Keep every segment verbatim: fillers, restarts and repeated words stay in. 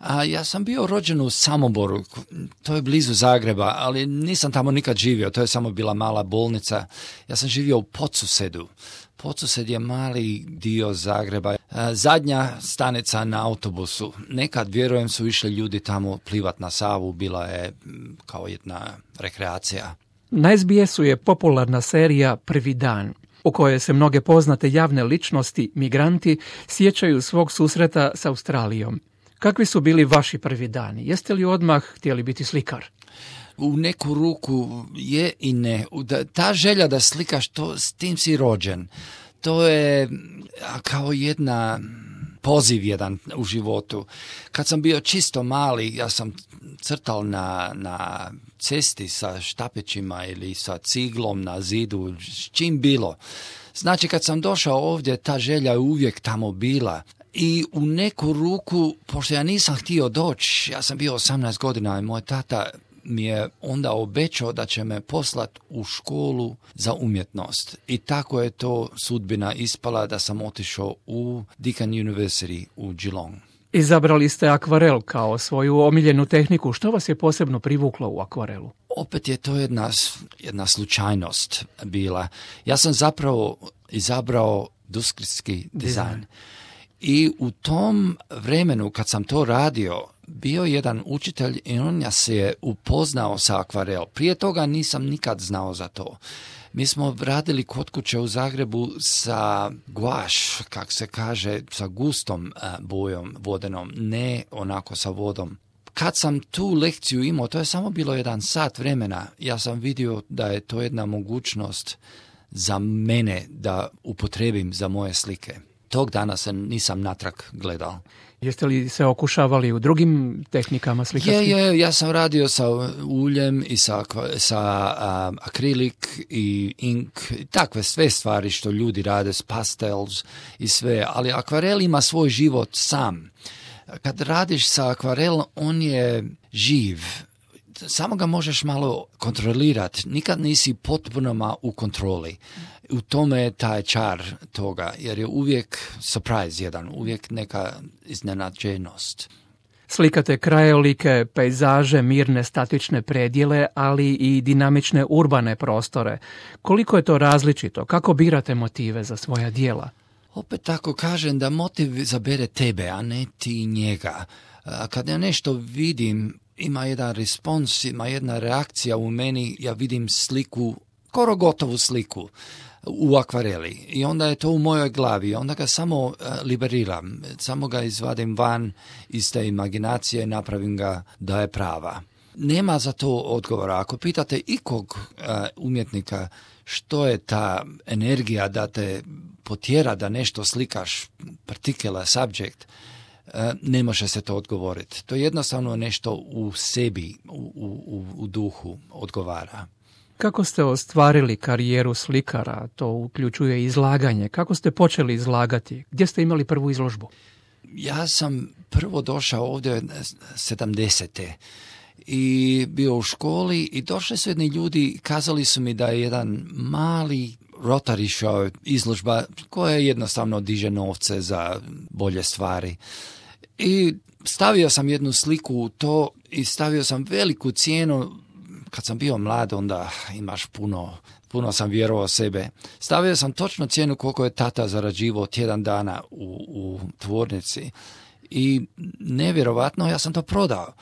A ja sam bio rođen u Samoboru, to je blizu Zagreba, ali nisam tamo nikad živio, to je samo bila mala bolnica. Ja sam živio u Podsusedu. Podsused je mali dio Zagreba. Zadnja stanica na autobusu. Nekad, vjerujem, su išli ljudi tamo plivat na Savu, bila je kao jedna rekreacija. Na es be esu je popularna serija Prvi dan, u kojoj se mnoge poznate javne ličnosti, migranti, sjećaju svog susreta s Australijom. Kakvi su bili vaši prvi dani? Jeste li odmah htjeli biti slikar? U neku ruku je i ne. Ta želja da slikaš, to, s tim si rođen. To je kao jedna poziv jedan u životu. Kad sam bio čisto mali, ja sam crtal na, na cesti sa štapićima ili sa ciglom na zidu, s čim bilo. Znači, kad sam došao ovdje, ta želja je uvijek tamo bila. I u neku ruku, pošto ja nisam htio doći, ja sam bio osamnaest godina i moj tata mi je onda obećao da će me poslat u školu za umjetnost. I tako je to sudbina ispala da sam otišao u Deakin University u Geelong. Izabrali ste akvarel kao svoju omiljenu tehniku. Što vas je posebno privuklo u akvarelu? Opet je to jedna, jedna slučajnost bila. Ja sam zapravo izabrao industrijski dizajn. I u tom vremenu kad sam to radio, bio jedan učitelj i on ja se je upoznao sa akvarel. Prije toga nisam nikad znao za to. Mi smo radili kod kuće u Zagrebu sa guaš, kak se kaže, sa gustom bojom vodenom, ne onako sa vodom. Kad sam tu lekciju imao, to je samo bilo jedan sat vremena, ja sam vidio da je to jedna mogućnost za mene da upotrebim za moje slike. Tog dana se nisam natrag gledao. Jeste li se okušavali u drugim tehnikama slikarskim? Je, je, ja sam radio sa uljem i sa, sa um, akrilik i ink, i takve sve stvari što ljudi rade s pastels i sve, ali akvarel ima svoj život sam. Kad radiš sa akvarelom, on je živ. Samo ga možeš malo kontrolirati. Nikad nisi potpuno u kontroli. U tome je taj čar toga, jer je uvijek surprise jedan, uvijek neka iznenađenost. Slikate krajolike, pejzaže, mirne statične predjele, ali i dinamične urbane prostore. Koliko je to različito? Kako birate motive za svoja djela? Opet tako kažem da motiv zabere tebe, a ne ti njega. Kad ja nešto vidim, ima jedan respons, ima jedna reakcija u meni, ja vidim sliku, skoro gotovu sliku u akvareli i onda je to u mojoj glavi, onda ga samo uh, liberiram, samo ga izvadim van iz te imaginacije i napravim ga da je prava. Nema za to odgovora. Ako pitate ikog uh, umjetnika što je ta energija da te potjera da nešto slikaš, particular subject, uh, ne može se to odgovoriti. To je jednostavno nešto u sebi, u, u, u duhu odgovara. Kako ste ostvarili karijeru slikara? To uključuje izlaganje. Kako ste počeli izlagati? Gdje ste imali prvu izložbu? Ja sam prvo došao ovdje sedamdesete i bio u školi i došli su jedni ljudi i kazali su mi da je jedan mali Rotary show izložba koja jednostavno diže novce za bolje stvari. I stavio sam jednu sliku u to i stavio sam veliku cijenu. Kad sam bio mlad, onda imaš puno, puno sam vjerovao sebe. Stavio sam točno cijenu koliko je tata zarađivao tjedan dana u, u tvornici. I nevjerovatno, ja sam to prodao.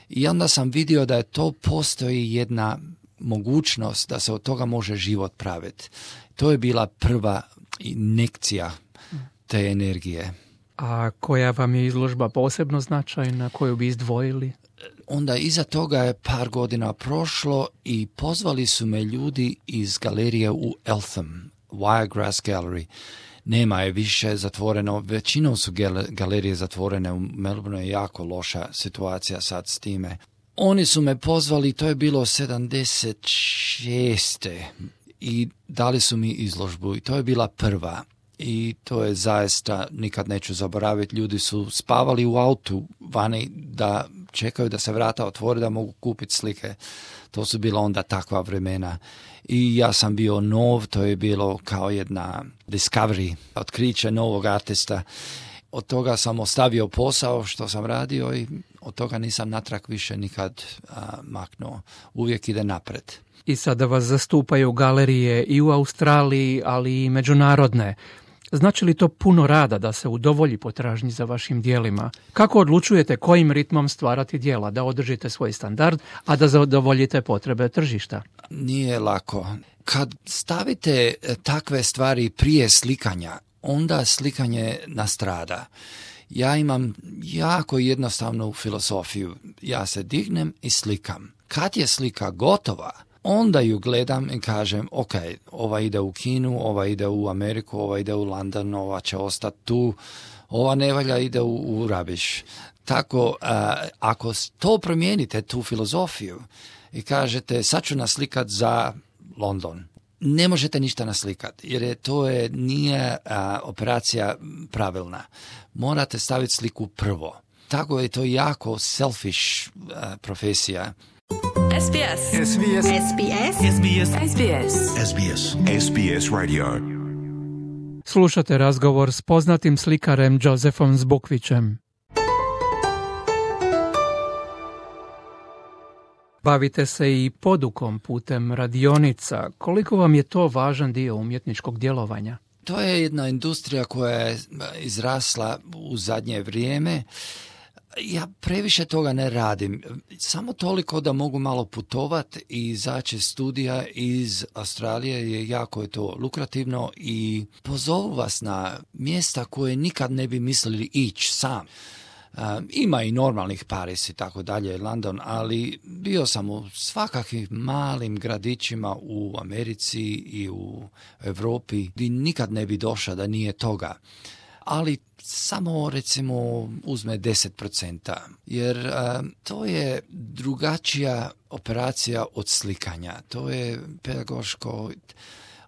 I onda sam vidio da je to postoji jedna mogućnost da se od toga može život praviti. To je bila prva injekcija te energije. A koja vam je izložba posebno značajna, koju bi izdvojili? Onda iza toga je par godina prošlo i pozvali su me ljudi iz galerije u Eltham, Wiregrass Gallery. Nema je više zatvoreno, većinom su galerije zatvorene, u Melbourneu je jako loša situacija sad s time. Oni su me pozvali, to je bilo sedamdeset šeste i dali su mi izložbu i to je bila prva. I to je zaista, nikad neću zaboraviti, ljudi su spavali u autu vani da čekaju da se vrata otvore da mogu kupiti slike. To su bila onda takva vremena. I ja sam bio nov, to je bilo kao jedna discovery, otkriće novog artista. od toga sam ostavio posao što sam radio i od toga nisam natrag više nikad a, maknuo. Uvijek ide napred. I sada vas zastupaju galerije i u Australiji, ali i međunarodne. Znači li to puno rada da se udovolji potražnji za vašim dijelima? Kako odlučujete kojim ritmom stvarati dijela, da održite svoj standard, a da zadovoljite potrebe tržišta? Nije lako. Kad stavite takve stvari prije slikanja, onda slikanje nastrada. Ja imam jako jednostavnu filozofiju. Ja se dignem i slikam. Kad je slika gotova, onda ju gledam i kažem, ok, ova ide u Kinu, ova ide u Ameriku, ova ide u London, ova će ostati tu, ova ne valja, ide u, u Rabiš. Tako, a, ako to promijenite, tu filozofiju, i kažete, sad ću naslikat za London, ne možete ništa naslikati, jer je, to je, nije a, operacija pravilna. Morate staviti sliku prvo. Tako je to jako selfish a, profesija. S B S. S B S. S B S. S B S. S B S. S B S. S B S Radio. Slušate razgovor s poznatim slikarem Josefom Zbukvićem. Bavite se i podukom putem radionica. Koliko vam je to važan dio umjetničkog djelovanja? To je jedna industrija koja je izrasla u zadnje vrijeme. Ja previše toga ne radim. Samo toliko da mogu malo putovati i izaći studija iz Australije je jako je to lukrativno i pozovu vas na mjesta koje nikad ne bi mislili ići sam. Um, ima i normalnih Paris i tako dalje, London, ali bio sam u svakakvim malim gradićima u Americi i u Europi gdje nikad ne bi došao da nije toga. Ali samo recimo uzme deset posto, jer um, to je drugačija operacija od slikanja. To je pedagoško.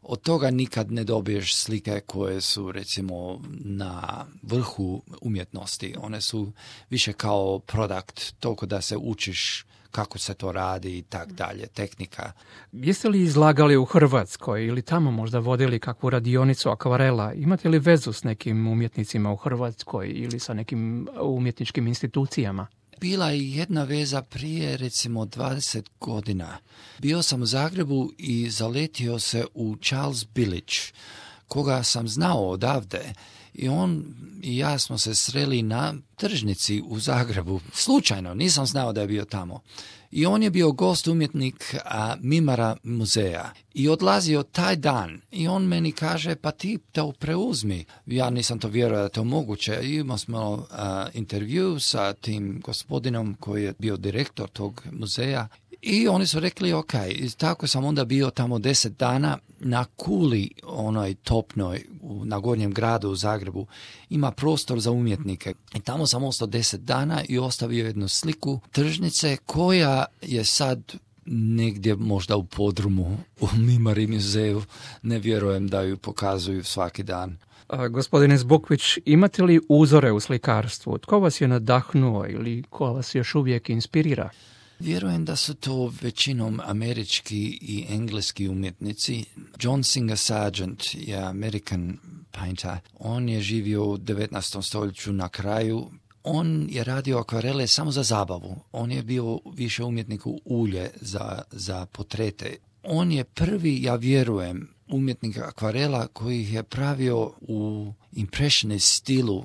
Od toga nikad ne dobiješ slike koje su recimo na vrhu umjetnosti. One su više kao produkt, toliko da se učiš kako se to radi i tak dalje, tehnika. Jeste li izlagali u Hrvatskoj ili tamo možda vodili kakvu radionicu akvarela? Imate li vezu s nekim umjetnicima u Hrvatskoj ili sa nekim umjetničkim institucijama? Bila je jedna veza prije recimo dvadeset godina. Bio sam u Zagrebu i zaletio se u Charles Bilić, koga sam znao odavde. I on i ja smo se sreli na tržnici u Zagrebu. Slučajno, nisam znao da je bio tamo. I on je bio gost umjetnik a, Mimara muzeja. I odlazio taj dan. I on meni kaže, pa ti to preuzmi. Ja nisam to vjerovao da je to moguće. I imali smo a, intervju sa tim gospodinom koji je bio direktor tog muzeja. I oni su rekli, ok, i tako sam onda bio tamo deset dana na kuli, onoj topnoj, u, na Gornjem gradu u Zagrebu. Ima prostor za umjetnike. I tamo sam ostao deset dana i ostavio jednu sliku tržnice koja je sad negdje možda u podrumu u Mimari muzeju. Ne vjerujem da ju pokazuju svaki dan. A, gospodine Zbukvić, imate li uzore u slikarstvu? Tko vas je nadahnuo ili ko vas još uvijek inspirira? Vjerujem da su to većinom američki i engleski umjetnici. John Singer Sargent je American painter. On je živio u devetnaestom stoljeću na kraju. On je radio akvarele samo za zabavu. On je bio više umjetnik u ulje za, za portrete. On je prvi, ja vjerujem, umjetnik akvarela koji je pravio u impressionist stilu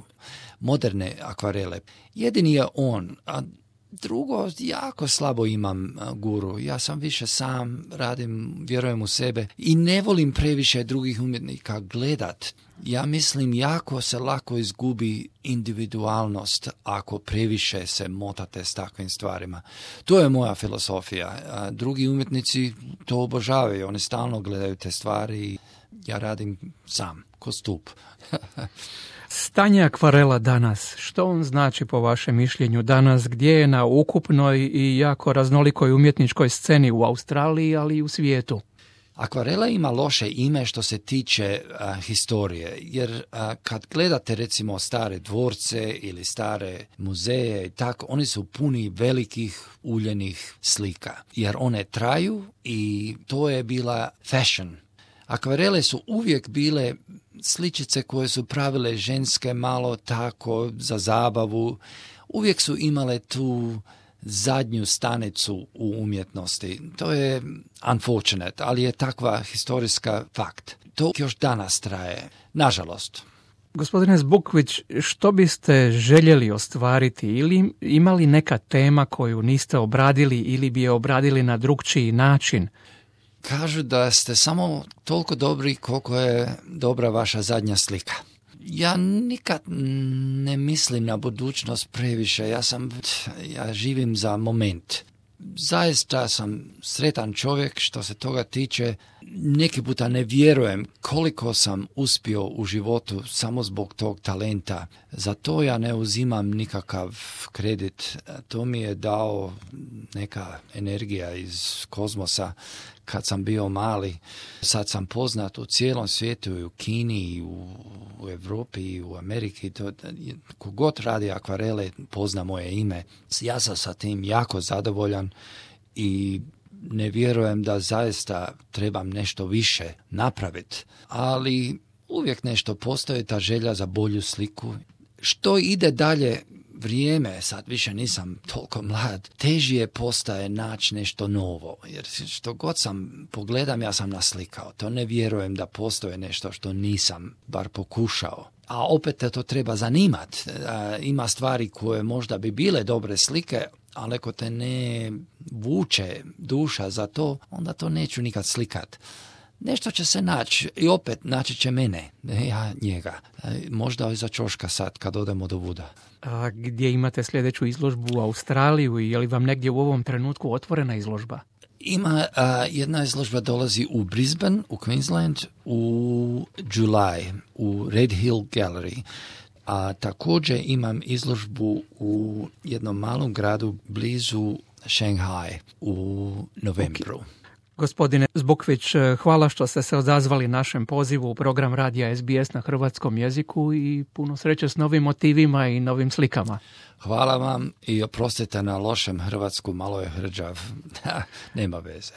moderne akvarele. Jedini je on, a drugo, jako slabo imam guru. Ja sam više sam, radim, vjerujem u sebe i ne volim previše drugih umjetnika gledat. Ja mislim, jako se lako izgubi individualnost ako previše se motate s takvim stvarima. To je moja filozofija. A drugi umjetnici to obožavaju. Oni stalno gledaju te stvari i ja radim sam, ko stup. Stanje akvarela danas, što on znači po vašem mišljenju danas, gdje je na ukupnoj i jako raznolikoj umjetničkoj sceni u Australiji, ali i u svijetu? Akvarela ima loše ime što se tiče a, historije, jer a, kad gledate recimo stare dvorce ili stare muzeje i tako, oni su puni velikih uljenih slika, jer one traju i to je bila fashion. Akvarele su uvijek bile sličice koje su pravile ženske malo tako za zabavu. Uvijek su imale tu zadnju stanicu u umjetnosti. To je unfortunate, ali je takva historijska fakt. To još danas traje, nažalost. Gospodine Zbukvić, što biste željeli ostvariti ili imali neka tema koju niste obradili ili bi je obradili na drugčiji način? Kažu da ste samo toliko dobri koliko je dobra vaša zadnja slika. Ja nikad ne mislim na budućnost previše, ja sam, ja živim za moment. Zaista sam sretan čovjek što se toga tiče. Neki puta ne vjerujem koliko sam uspio u životu samo zbog tog talenta. Za to ja ne uzimam nikakav kredit. To mi je dao neka energija iz kozmosa kad sam bio mali. Sad sam poznat u cijelom svijetu, i u Kini, i u, u Europi, i u Ameriki. To, kogod radi akvarele pozna moje ime. Ja sam sa tim jako zadovoljan i ne vjerujem da zaista trebam nešto više napraviti, ali uvijek nešto postoji, ta želja za bolju sliku. Što ide dalje vrijeme, sad više nisam toliko mlad, težije postaje naći nešto novo, jer što god sam pogledam, ja sam naslikao. To ne vjerujem da postoje nešto što nisam bar pokušao. A opet te to treba zanimati. Ima stvari koje možda bi bile dobre slike, ali ako te ne vuče duša za to, onda to neću nikad slikat. Nešto će se naći i opet naći će mene, ne ja njega. Možda iza ćoška sad kad odemo do Vuda. A gdje imate sljedeću izložbu u Australiju i je li vam negdje u ovom trenutku otvorena izložba? Ima a, jedna izložba dolazi u Brisbane, u Queensland, u July, u Red Hill Gallery. A također imam izložbu u jednom malom gradu blizu Shanghai u novembru. Okay. Gospodine Zbukvić, hvala što ste se odazvali našem pozivu u program radija S B S na hrvatskom jeziku i puno sreće s novim motivima i novim slikama. Hvala vam i oprostite na lošem hrvatsku, malo je hrđav. Nema veze.